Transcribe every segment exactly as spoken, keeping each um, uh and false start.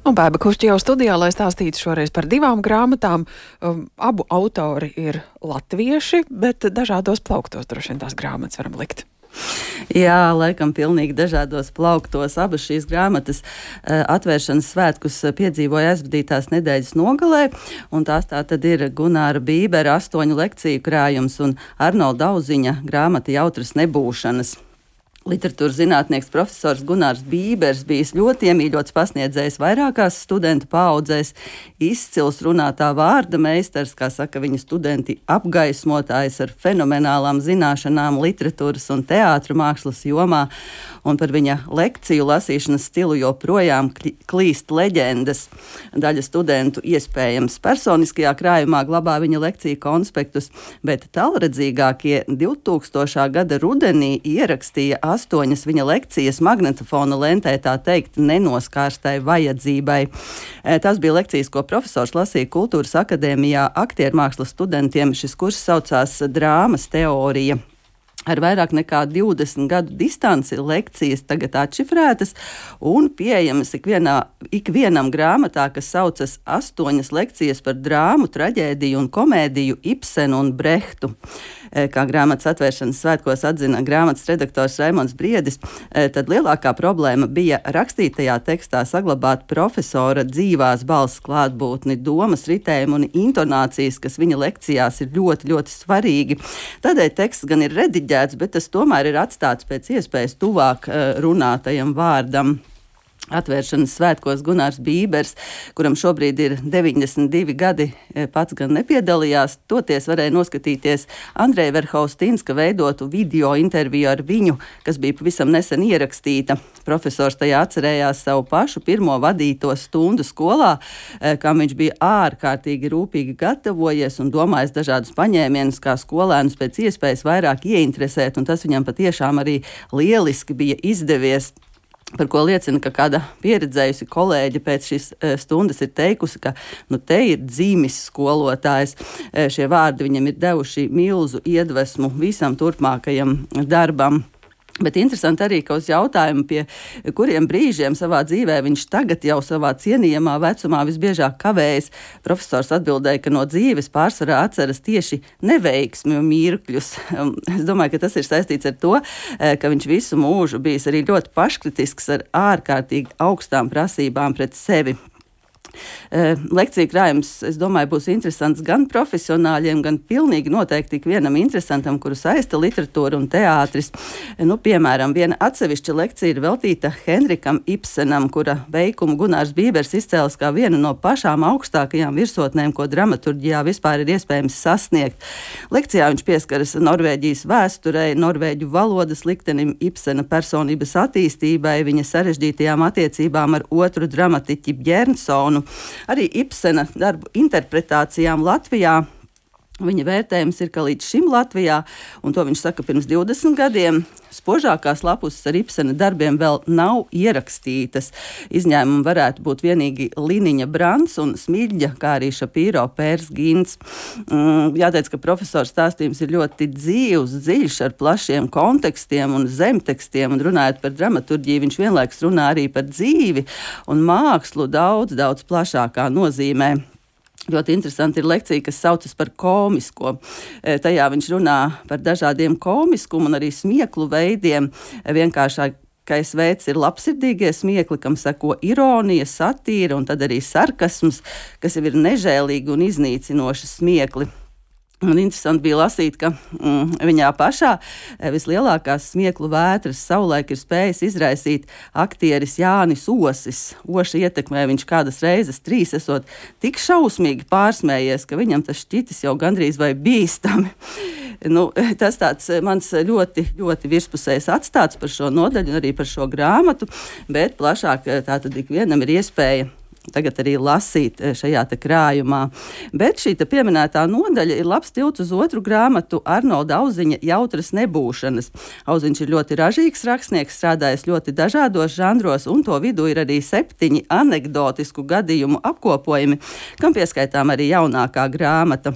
Un Baiba Kušķi jau studijā, lai stāstītu šoreiz par divām grāmatām. Um, abu autori ir latvieši, bet dažādos plauktos droši vien tās grāmatas varam likt. Jā, laikam pilnīgi dažādos plauktos. Abas šīs grāmatas uh, atvēršanas svētkus piedzīvoja aizvadītās nedēļas nogalē, un tās tā tad ir Gunāra Bībera astoņu lekciju krājums un Arnolda Auziņa grāmata Jautras nebūšanas. Literatūras zinātnieks profesors Gunārs Bībers bijis ļoti iemīļots pasniedzējs vairākās studentu paaudzēs, izcils runātā vārda meistars, kā saka viņa studenti, apgaismotājs ar fenomenālām zināšanām literatūras un teātra mākslas jomā, un par viņa lekciju lasīšanas stilu joprojām klīst leģendas. Daļa studentu iespējams personiskajā krājumā glabā viņa lekciju konspektus, bet tālredzīgākie divtūkstošā gada rudenī ierakstīja astoņas viņa lekcijas magnetofona lentē, tā teikt, nenoskārstai vajadzībai. Tas bija lekcijas, ko profesors lasīja Kultūras akadēmijā aktiermākslas studentiem. Šis kurs saucās Drāmas teorija. Ar vairāk nekā divdesmit gadu distanci lekcijas tagad atšifrētas un pieejamas ikvienā, ikvienam grāmatā, kas saucas astoņas lekcijas par drāmu, traģēdiju un komēdiju Ibsenu un Brehtu. Kā grāmatas atvēršanas svētkos atzina grāmatas redaktors Raimonds Briedis, tad lielākā problēma bija rakstītajā tekstā saglabāt profesora dzīvās balss klātbūtni, domas ritējumu un intonācijas, kas viņa lekcijās ir ļoti, ļoti svarīgi. Tādēļ teksts gan ir rediģēts, bet tas tomēr ir atstāts pēc iespējas tuvāk runātajam vārdam. Atvēršanas svētkos Gunārs Bībers, kuram šobrīd ir deviņdesmit divi gadi, pats gan nepiedalījās, toties varēja noskatīties Andreja Verhaustinska veidotu video interviju ar viņu, kas bija pavisam nesen ierakstīta. Profesors tajā atcerējās savu pašu pirmo vadīto stundu skolā, kam viņš bija ārkārtīgi rūpīgi gatavojies un domājis dažādus paņēmienus, kā skolēnus pēc iespējas vairāk ieinteresēt, un tas viņam patiešām arī lieliski bija izdevies. Par ko liecina, ka kāda pieredzējusi kolēģe pēc šīs stundas ir teikusi, ka nu, te ir dzīmis skolotājs. Šie vārdi viņam ir devuši milzu iedvesmu visam turpmākajam darbam. Bet interesanti arī, ka uz jautājumu, pie kuriem brīžiem savā dzīvē viņš tagad jau savā cienījamā vecumā visbiežāk kavējas, profesors atbildēja, ka no dzīves pārsvarā atceras tieši neveiksmi un mirkļus. Es domāju, ka tas ir saistīts ar to, ka viņš visu mūžu bijis arī ļoti paškritisks ar ārkārtīgi augstām prasībām pret sevi. Lekciju krājums, es domāju, būs interesants gan profesionāļiem, gan pilnīgi noteikti ikvienam interesantam, kuru saista literatūra un teātris. Nu, piemēram, viena atsevišķa lekcija ir veltīta Henrikam Ibsenam, kura veikumu Gunārs Bībers izcēlas kā vienu no pašām augstākajām virsotnēm, ko dramaturģijā vispār ir iespējams sasniegt. Lekcijā viņš pieskaras Norvēģijas vēsturei, norvēģu valodas liktenim, Ibsena personības attīstībai, viņa sarežģītajām attiecībām ar otru dramatiķi Bjernsonu, arī Ibsena darbu interpretācijām Latvijā. Viņa vērtējums ir, ka līdz šim Latvijā, un to viņš saka pirms divdesmit gadiem, spožākās lapuses ar Ibsena darbiem vēl nav ierakstītas. Izņēmumi varētu būt vienīgi Liniņa Brants un Smilģa, kā arī Šapīro Pērs Gints. Jāteic, ka profesors stāstījums ir ļoti dzīvs, dziļš ar plašiem kontekstiem un zemtekstiem, un runājot par dramaturģiju, viņš vienlaikus runā arī par dzīvi un mākslu daudz, daudz plašākā nozīmē. Ļoti interesanti ir lekcija, kas saucas par komisko. Tajā viņš runā par dažādiem komiskumu un arī smieklu veidiem. Vienkāršākais veids ir labsirdīgie smiekli, kam seko ironija, satīra un tad arī sarkasms, kas jau ir nežēlīgi un iznīcinoši smiekli. Un interesanti bija lasīt, ka mm, viņā pašā vislielākās smieklu vētras savulaik ir spējis izraisīt aktieris Jānis Osis. Oša ietekmē viņš kādas reizes trīs esot tik šausmīgi pārsmējies, ka viņam tas šķitis jau gandrīz vai bīstami. Nu, tas tāds mans ļoti, ļoti virspusējs atstāts par šo nodaļu un arī par šo grāmatu, bet plašāk tātad ikvienam ir iespēja tagad arī lasīt šajā te krājumā. Bet šī te pieminētā nodaļa ir labs tilts uz otru grāmatu Arnolda Auziņa Jautras nebūšanas. Auziņš ir ļoti ražīgs rakstnieks, strādājis ļoti dažādos žanros, un to vidū ir arī septiņi anekdotisku gadījumu apkopojumi, kam pieskaitām arī jaunākā grāmata.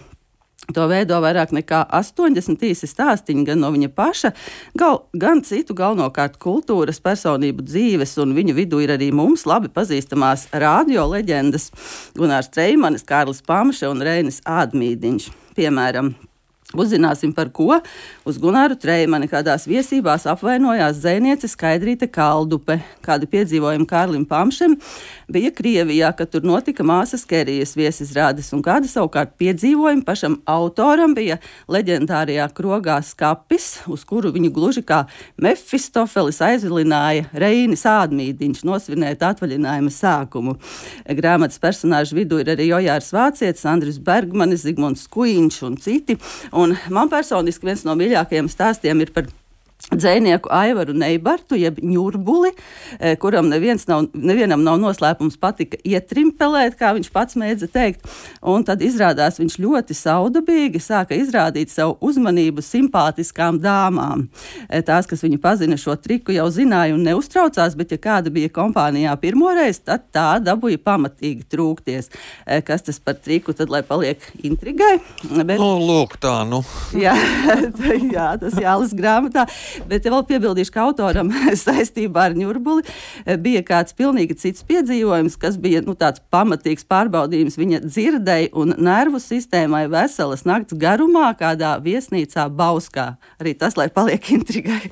To veido vairāk nekā astoņdesmit īsi stāstiņi gan no viņa paša, gal, gan citu galvenokārt kultūras personību dzīves, un viņu vidū ir arī mums labi pazīstamās radio leģendas Gunārs Treimanis, Kārlis Pamše un Reinis Ādmīdiņš. Piemēram, uzzināsim, par ko uz Gunāru Treimani kādās viesībās apvainojās dzejniece Skaidrīte Kaldupe. Kādi piedzīvojumi Kārlim Pamšem bija Krievijā, kad tur notika māsas Kerijas viesizrādes, un kādi savukārt piedzīvojumi pašam autoram bija leģendārijā krogā Skapis, uz kuru viņu gluži kā Mefistofelis aizvilināja Reinis Ādmīdiņš nosvinēt atvaļinājuma sākumu. Grāmatas personāžu vidū ir arī Jojārs Vācietis, Andris Bergmanis, Zigmunds Kuiņš un citi. Un man personiski viens no mīļākajiem stāstiem ir par dzejnieku Aivaru Neibartu, jeb Ņurbuli, kuram neviens nav, nevienam nav noslēpums patika ietrimpelēt, kā viņš pats mēdza teikt. Un tad izrādās viņš ļoti saudabīgi sāka izrādīt savu uzmanību simpātiskām dāmām. Tās, kas viņu pazina šo triku, jau zināja un neuztraucās, bet ja kāda bija kompānijā pirmoreiz, tad tā dabūja pamatīgi trūkties. Kas tas par triku, tad lai paliek intrigai. Bet... Nu, lūk tā, nu. Jā, jā, tas jālas grāmatā. Bet vēl piebildīšu, ka autoram saistībā ar Ņurbuli bija kāds pilnīgi cits piedzīvojums, kas bija nu, tāds pamatīgs pārbaudījums viņa dzirdei un nervu sistēmai veselas nakts garumā kādā viesnīcā Bauskā. Arī tas, lai paliek intrigai.